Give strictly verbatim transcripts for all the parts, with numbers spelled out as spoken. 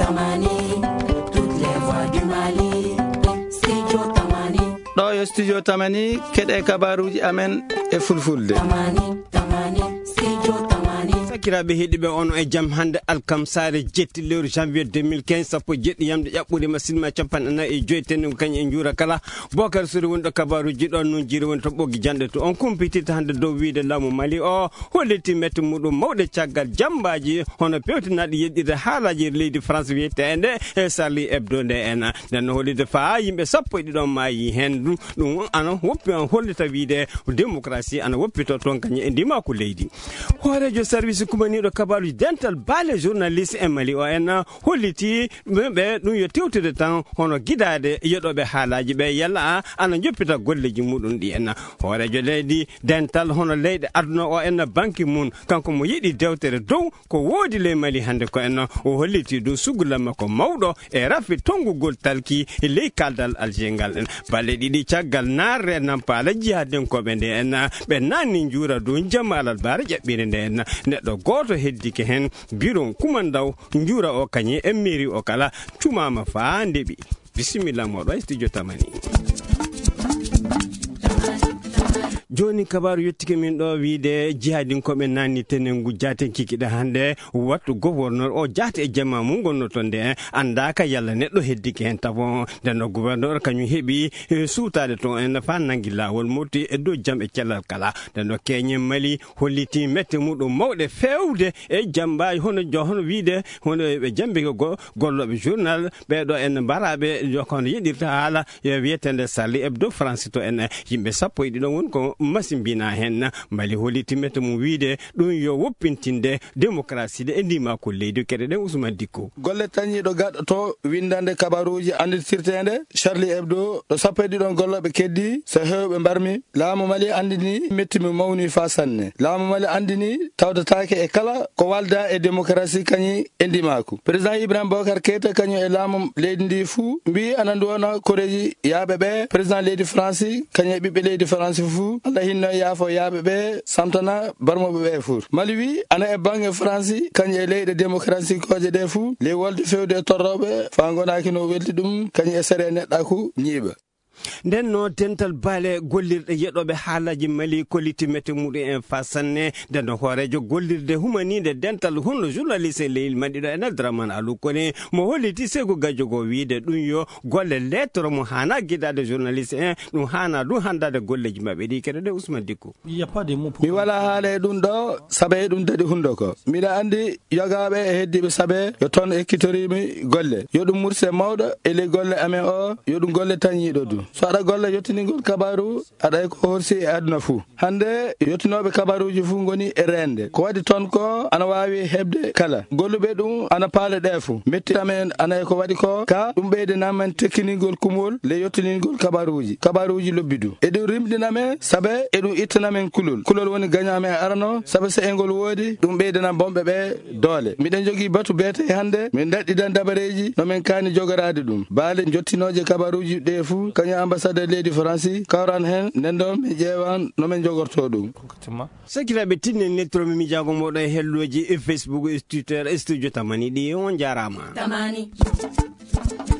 Tamani, toutes les voix du Mali, Studio Tamani. Ɗo yo Studio Tamani, keɗe kabaruuji amen e fulfulde. Tamani, Tamani, Studio Tamani. Sakiraaɓe heɗiiɓe, on e jam hannde alkamsaare jetti lewru janvier deux mille quinze, sappo e jeɗɗi yamde ƴaɓɓude ma sinma capanɗe nayi e joy tenngo kañ e njuura kala. Bokar Sori woni ɗo kabaruuji ɗon nun jiiri woni to ɓoggi janɗe to. On kumpitirta hannde dow wiide laamu Mali o holliti mette muɗum mawɗe caggal jammbaaji hono pewtinaaɗi yeɗɗirde haalaaji leydi France wiyeteende e Charlie Hebdo nde en. Nden no hollitde faa yimɓe sappo e ɗiɗon maayi heen. Ɗum, ɗum ana woppi, ana hollita wiide démocratie ana woppito toon kañum e ndimaaku leydi. Hooreejo service kumaniiɗo kabaaruuji dental baale journaliste e Mali o en holliti ɓe, ɓe ɗum yo tewtude tan hono gidaade yeɗooɓe haalaaji ɓe yalla ana njoppita golleeji muɗum ɗi en. Hooreejo leydi dental hono leyɗe aduna o en Ban Ki-moon, kanko mo yiɗi dewtere dow ko woodi ley Mali hannde ko en o holliti ɗum suggulamma ko mawɗo e rafi tonngugol talki ley kaldal Alger ngal en. Balɗe ɗiɗi caggal naatde Nampaala jihadinkooɓe nde en ɓe naanni njuura dow jamma alarbaare ƴaɓɓiire nde en. Neɗɗo gooto heddike heen biron kumandaw njuura o kañum e mairie o kala cumaama faa ndeɓi. Bisimilla moɗo e studio Tamani. Jooni kabaaru yottike min ɗo wiide jihadinkooɓe naanni tenengu jaaten kikiɗe hannde wattu gouverneur o jaate e jamma mum ngonno toon nde anndaaka yalla neɗɗo heddike heen tafo. Nden no gouverneur kañum heɓi, eh, suutaade toon en faa nanngi laawol moƴƴi e dow jam e cellal kala. Nden no keeñen Mali holliti mette muɗum mawɗe feewde e jammbaaji hono jo-, hono wiide hono ɓe jammbike go-, gollooɓe journal ɓee ɗo en mbaraaɓe jo-, kono yeɗirta haala, eh, wiyeteende Charlie Hebdo France to en, eh, yimɓe sappo e ɗiɗo woni ko masimbinaa heen. Mali holliti mette mum wiide ɗum yo woppintinde démocratie de e ndimaaku leydi keɗe ɗen Ousmane Dicko. Golle tañiiɗo gaɗɗo to winndande kabaruuji annditirteende Charlie Hebdo ɗo sappo e ɗiɗon gollooɓe keddi so heewɓe mbarmi. Laamu Mali anndini metti mi mawni faa sanne. Laamu Mali anndini tawdataake e kala ko walda e démocratie kañi e ndimaaku. Président Ibrahim Boubacar Keita kañum e laamu leydi ndi fuu mbii ana nduwana koreeji yaaɓe ɓe. Président leydi France kañum e ɓiɓɓe leydi France fuu, Allah hinno e yaafo yaaɓe ɓe, samtana barmooɓe ɓe fuu. Mali wi ana e baŋŋe France kañum e leyɗe démocratique ooje ɗe fuu, ley wolde fewde e torrooɓe faa ngonaaki no weldi ɗum kañum e sere neɗɗaaku ñiiɓa. Nden no dental baale gollirɗe yeɗooɓe haalaaji Mali kolliti mette muɗum en faa sanne. Nden no hooreejo gollirde humaniinde dental hunno journaliste e leydi Mali ɗo en Abdourahmane Alou Koné mo holliti Seyku Gajogo wiide ɗum yo golle lettre mo haana gidaade journaliste en, ɗum haana ɗum hanndaade golleeji maɓɓe ɗi keɗe ɗe Ousmane Dicko. Il y a pas de mot pour Mi walaa haala e ɗum ɗo, sabe e ɗum daɗi hundo ko. Miɗa anndi yogaaɓe e heddiiɓe sabe yo toon ekkitoriimi golle. Yo ɗum murse mawɗo e ley golle amen o, yo ɗum golle tañiiɗo du. So aɗa golla yottiningol kabaaru, aɗa e ko horsi e aduna fuu. Hannde yottinooɓe kabaaruuji fuu ngoni e reende. Ko waɗi toon ko ana waawi heɓde kala. Golluɓe ɗum ana paale ɗe fuu. Metti amen ana e ko waɗi ko, ka ɗum ɓeydanaa men tekkiningol kumol le yottiningol kabaaruuji. Kabaaruuji lobbi du. E ɗum rimɗina men, sabe e ɗum ittana men kulol. Kulol woni gaño amen arano, sabe so e ngol woodi, ɗum ɓeydana bonɓe ɓe doole. Miɗen jogii batu beete hannde, min daɗɗidan dabareeji no men kaani jogoraade ɗum. Baale jottinooje kabaaruuji ɗe fuu, kañum ambassadeur leydi Faransi, kawran heen, nden ɗo min ƴeewan no men jogortoo ɗum. Sakiraaɓe, tinnen nettomi miijaago mooɗon e hellooji e Facebook e Twitter e Studio Tamani ɗi. On njaaraama. Tamani.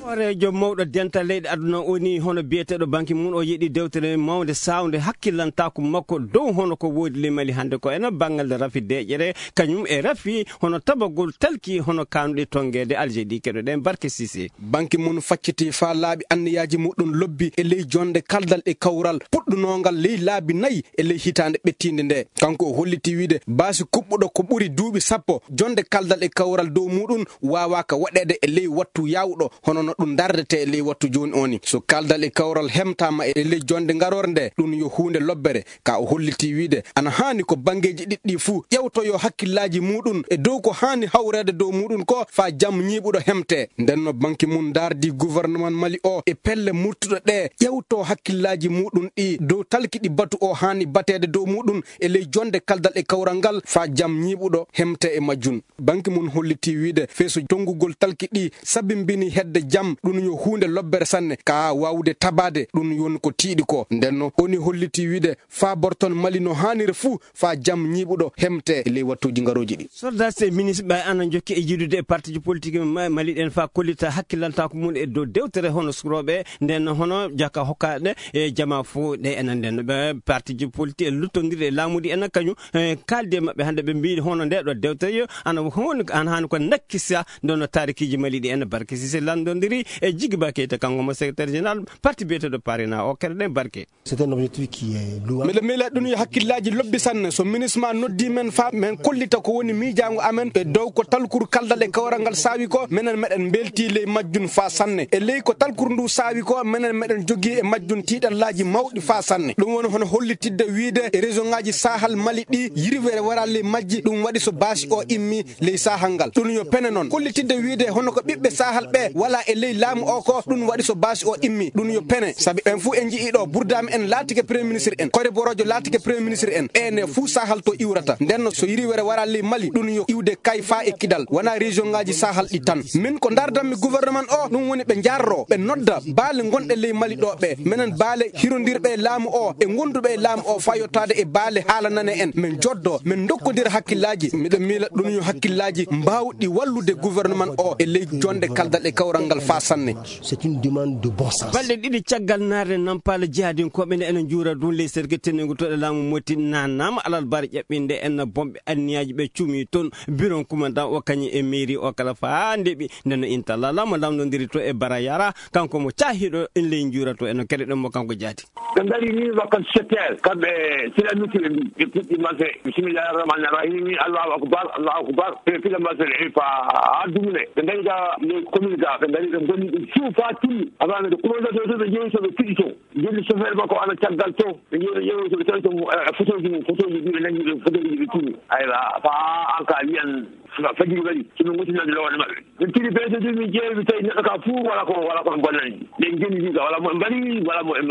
Hooreejo mawɗo dental leyɗe aduna o ni hono biyeteeɗo Ban Ki-moon o yeɗi dewtere mawnde saawnde hakkillantaaku makko dow hono ko woodi le Mali hannde ko ena banngal rafi deeƴere, kañum e rafi hono tabagol talki hono kaanuɗe tonngeede Algérie ɗi keɗoɗen Barke Cissé. Ban Ki-moon facciti faa laaɓi anniyaaji muɗum lobbi e ley jonnde kaldal e kawral puɗɗunoongal ley laabi nayi e ley hitaande ɓettiinde nde. Kanko o hollitii wiide baasi kuɓɓuɗo ko ɓuri duuɓi sappo, jonnde kaldal e kawral dow muɗum waawaaka waɗeede e ley wattu yaawɗo, hono no ɗum ndardetee e ley wattu jooni o ni. So kaldal e kawral hemtaama e ley jonnde ngaroore nde, ɗum yo huunde lobbere. Ka o hollitii wiide ana haani ko banngeeji ɗiɗɗi fuu ƴewtoyoo hakkillaaji muɗum e dow ko haani hawreede dow muɗum ko faa jam ñiiɓuɗo hemtee. Nden no Ban Ki-moon ndaardii gouvernement Mali o e pelle murtuɗe ɗe ƴewtoo hakkillaaji muɗum ɗi dow talki ɗi batu o haani bateede dow muɗum e ley jonnde kaldal e kawral ngal faa jam ñiiɓuɗo hemtee e majjum. Ban Ki-moon hollitii wiide feeso tonngugol talki ɗi sabimbini hedde jam, ɗum yo huunde lobbere sanne, ka waawude tabaade, ɗum woni ko tiiɗi ko. Nden no, oni holliti wiide, faa borton Mali no haaniri fuu, faa jam ñiiɓuɗo hemte e ley wattuuji ngarooji ɗi. Soldat e ministre ɓe ana jokki e jiidude e partiji politique ma-, Mali ɗen faa kollita hakkilantaaku mum e dow dewtere hono surooɓe, nden hono jaka hokkaɗe e jama fof ɗe enen nden. Ɓe partiji politique e luttondirɗe e laamuɗi enen kañum, e kaaldi e maɓɓe hannde ɓe mbiyi hono nde ɗo dewtere yo ana hon-, ana haani ko nakkisa nden no taarikiiji Mali ɗi enen. Barke Sise lanndondiri e Jigiba Keita, kanko mo secrétaire général parti biyeteeɗo Parina o. Keɗoɗen Barke. C'est un objectif qui est louable. Miɗo miila ɗum yo hakkillaaji lobbi sanne. So ministre ma noddi men faa men kollita ko woni miijaango amen e dow ko talkuru kaldal e kawral ngal saawi ko, menen meɗen mbeltii ley majjum faa sanne. E ley ko talkuru ndu saawi ko, menen meɗen jogii e majjum tiiɗallaaji mawɗi faa sanne. Ɗum woni hono hollitidde wiide e région ŋaaji Sahel Mali ɗi yirwere waraa ley majji, ɗum waɗi so baasi o immi ley Sahel ngal. Ɗum yo pene noon. Kollitidde wiide hono ko ɓiɓɓe Sahel ɓe walaa e ley laamu o ko, ɗum waɗi so baasi o immi. Ɗum yo pene. Sabi en fuu en nji'i ɗo Burdaami en laatike premier ministre en. Kore Borojo laatike premier ministre en. Ɓe ne fuu Sahel to iwrata. Nden no so yirwere waraa ley Mali, ɗum yo iwde kay faa e Kidal. Wonaa région ŋaaji Sahel ɗi tan. Min ko ndardanmi gouvernement o, ɗum woni ɓe njarro, ɓe nodda baale gonɗe ley Mali ɗo ɓe. Menen baale hirondirɓe e laamu o, e gonduɓe e laamu o faa yottaade e baale haalanane en. Men joddo, men dokkondira hakkillaaji. Miɗo miila ɗum yo hakkillaaji mbaawɗi wallude gouvernement o e ley jonde kaldal e kawral ngal faa sanne. C'est une demande de bon sens. Balɗe ɗiɗi caggal naatde Nampala, jihadinkooɓe nde ene njuura ɗum ley serke teniigu to ɗe laamu Moti naatnaama alarba ɓe ƴaɓɓinde en bomɓe anniyaaji ɓe cuumi toon. Biron kumandan o kañum e mairie o kala faa ndeɓi. Nden no Intalla Lamo lamndondiri to e Bara Yara, kanko mo caahiiɗo en ley njuura to en no keɗoɗen mo kanko jaati. Ɓe ngari ni wakkat sept heures, kamɓe silamiti ɓe mbi, ɓe puɗɗi marché, bismillahi rahmani rahimi, Allahu akbar, Allahu akbar, ɓe piɗa marché ɗe, e pa haa dumne. Ɓe ngari ga ley commune ga, ɓe ngari ɓe ngoni ɗum fiw faa timmi. Avant ɓe commandant to, to ɓe jeeyi to, ɓe piɗi to. Jonni chauffeur makko ana caggal to, ɓe jeeyi, ɓe ƴeewi to, ɓe tawi to mo, eh, photoji mum, photoji ɗi ɓe nangi, ɓe photoji ɗi ɓe timmi. Aywa, faa an ka wiyan, fa-, fajiri waɗi, so ɓe ngottinande lowande maɓɓe. Min tiri ɓe, so min ƴeewi, mi tawi neɗɗo ka fuu wala ko, wala ko bonnani. Ɓe ngenndi ka, wala mo ɓe mbaɗi, wala mo ɓe,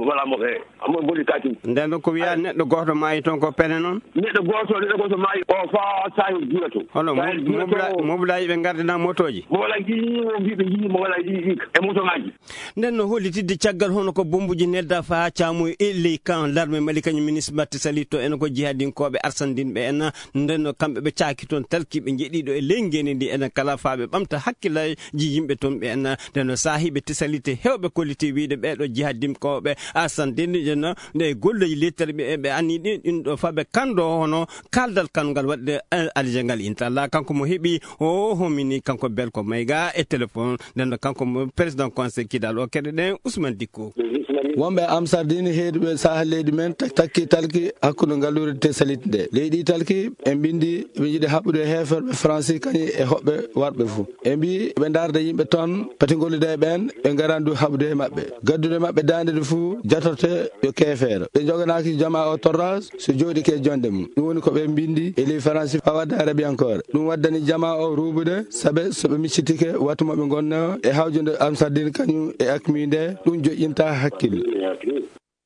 wala mo ɓe, mo ɓe mboni ka tun. Nden ɗon ko wiyaa neɗɗo gooto maayi toon ko pene noon? Neɗɗo gooto, neɗɗo gooto maayi, o faa Sahel Jula to. Hono Sahel mo-, Jula mobla-, to. Moblaaji ɓe ngardina motooji? Moblaaji ɗi, o mbii ɓe njii moblaaji ɗi, ɗi, e motooŋaaji. Nden no hollitidde caggal hono ko bommbuji nelda faa caamu e ley kan larme Mali kañum ministre Matti Sali to en ko jihadinkooɓe arsandinɓe en. Nden no kamɓe ɓe caaki toon talkiiɓe jeɗiiɗo e ley ngendi ndi enen kala faa ɓe ɓamta hakkillaaji yimɓe toon ɓe en. Nden no saahiiɓe tisalite heewɓe kolliti wiide ɓee ɗo jihadinkooɓe arsandinɓe en nde golloyi lettere ɓe, ɓe anni ɗin, ɗin ɗo faa ɓe kanndo hono kaldal kan ngal waɗde, eh, Alger ngal. Intalla kanko mo heɓi o homini kanko Belko Mayga e téléphone. Nden no kanko mo président conseil Kidal o keɗoɗen Ousmane Dicko. Wonɓe Amsardini heeduɓe Sahel leydi men tak-, takki talki hakkunde ngalluure Tesalit nde. Leydi talki en bindi ɓe njiɗi haɓɓude heeferɓe Faransi kañum e hoɓɓe warɓe fuu. Ɓe mbii ɓe ndaarda yimɓe toon, pati ngollude e ɓeen, ɓe ngaran du haɓude e maɓɓe. Gaddude maɓɓe daande du fuu jatote yo keefeero. Ɓe njoganaaki jamaa o torraas, so jooɗike e jonde mum. Ɗum woni ko ɓe mbindi e ley Faransi faa wadda Arabiyankoore. Ɗum waddani jamaa o ruubude, sabe so ɓe miccitike wattu mo ɓe ngonnoo e hawjude Amsardin kañum e akmi nde, ɗum joƴƴinta hakkille.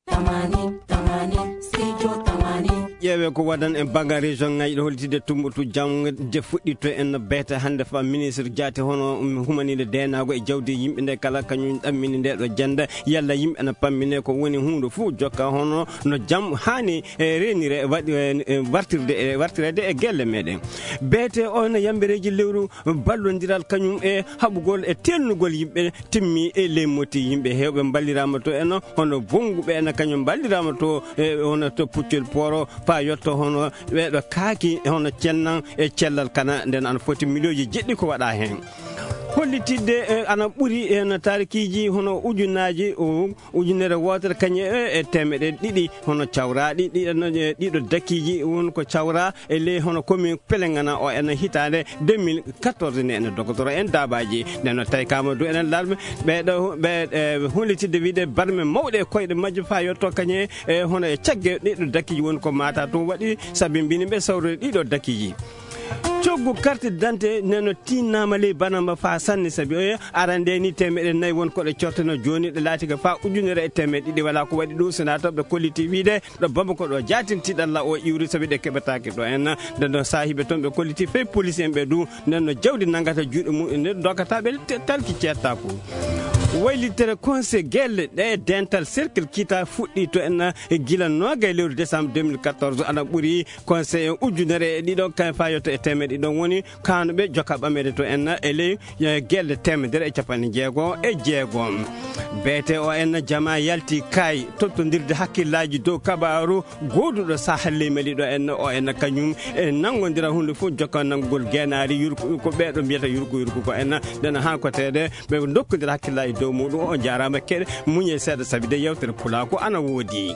Tamani, tamani, studio tamani. Ƴeewee ko waɗan en banngal région ŋaaji ɗo hollitde Tumbuktu jam je fuɗɗito en no beete hannde fa ministre Jaate hono humaniiɗo deenaago e jawdi yimɓe nde kala kañum ɗammini nde ɗo jannde yalla yimɓe ana pammine ko woni huunde fof jokka hono no jam haani e reenire waɗi, e, e wartirde, e wartireede e gelle meɗen. Beete o no yambereeji lewru ballondiral kañum e haɓugol e tennugol yimɓe timmi e ley Moti. Yimɓe heewɓe mballiraama to en, hono Bonnguɓe en kañum mballiraama to, e hono to Puccel Poro, faa yotto hono ɓeeɗo kaaki, hono cennan e cellal kana, nden ana foti miliyooji jeɗɗi ko waɗa heen. Hollitidde, e, ana ɓuri heen taarikiiji hono ujunnaaji, o, ujunere wootere kañum e, e teemeɗe ɗiɗi hono cawraaɗi, ɗi, e, ɗiɗo dakiiji won ko cawraa e ley hono commune Pelengana o ene hitaande deux mille quatorze nde ene dogotoro en daabaaji. Nden no tawi kama du enen larme ɓeeɗo ɓe, e, hollitidde wiide barme mawɗe e koyɗe majje faa yotto kañe e hono e cagge ɗiɗo dakiiji woni ko mata tun waɗi sabi mbini ɓe sawrude ɗiɗo dakiiji. Coggu carte d'identité neno tinnaama ley banamba faa sanne, sabi oya arande ni temeɗe nayi won ko ɗe corteno, jooni ɗe laati ka faa ujunere e temeɗe ɗiɗi. Wala ko waɗi ɗum, so na to ɓe kolliti wiide ɗo Bamako ɗo jaatin tiɗalla o iwri, sabi ɗe keɓataake ɗo en. Nden ɗon saahiiɓe toon ɓe kolliti fey police en ɓe du, nden no jawdi nanngata juuɗe mum en, nden dokkata ɓe te-, talki ceettaku. Waylitere conseil gelle ɗe dental cercle kita fuɗɗi to en gila noogay lewru décembre deux mille quatorze, ana ɓuri conseil en ujunere e ɗiɗo kan fayoto e temeɗe ɗiɗon woni kanuɓe joka ɓamere to en e ley, eh, gelle temedere e capanɗe jeego e jeego. Beete o en jama yalti kay tottondirde hakkillaaji dow kabaaru gooduɗo Sahel ley Mali ɗo en o en kañum e nanngondira huunde fof jokka nanngugol geenaari yurku ko ɓeeɗo mbiyata yurku yurku ko en. Nden haa ko teede ɓe ndokkondira hakkillaaji dow muɗum. O jaaraama keɗe muñe seeɗa sabi de yewtere pulaaku ana woodi.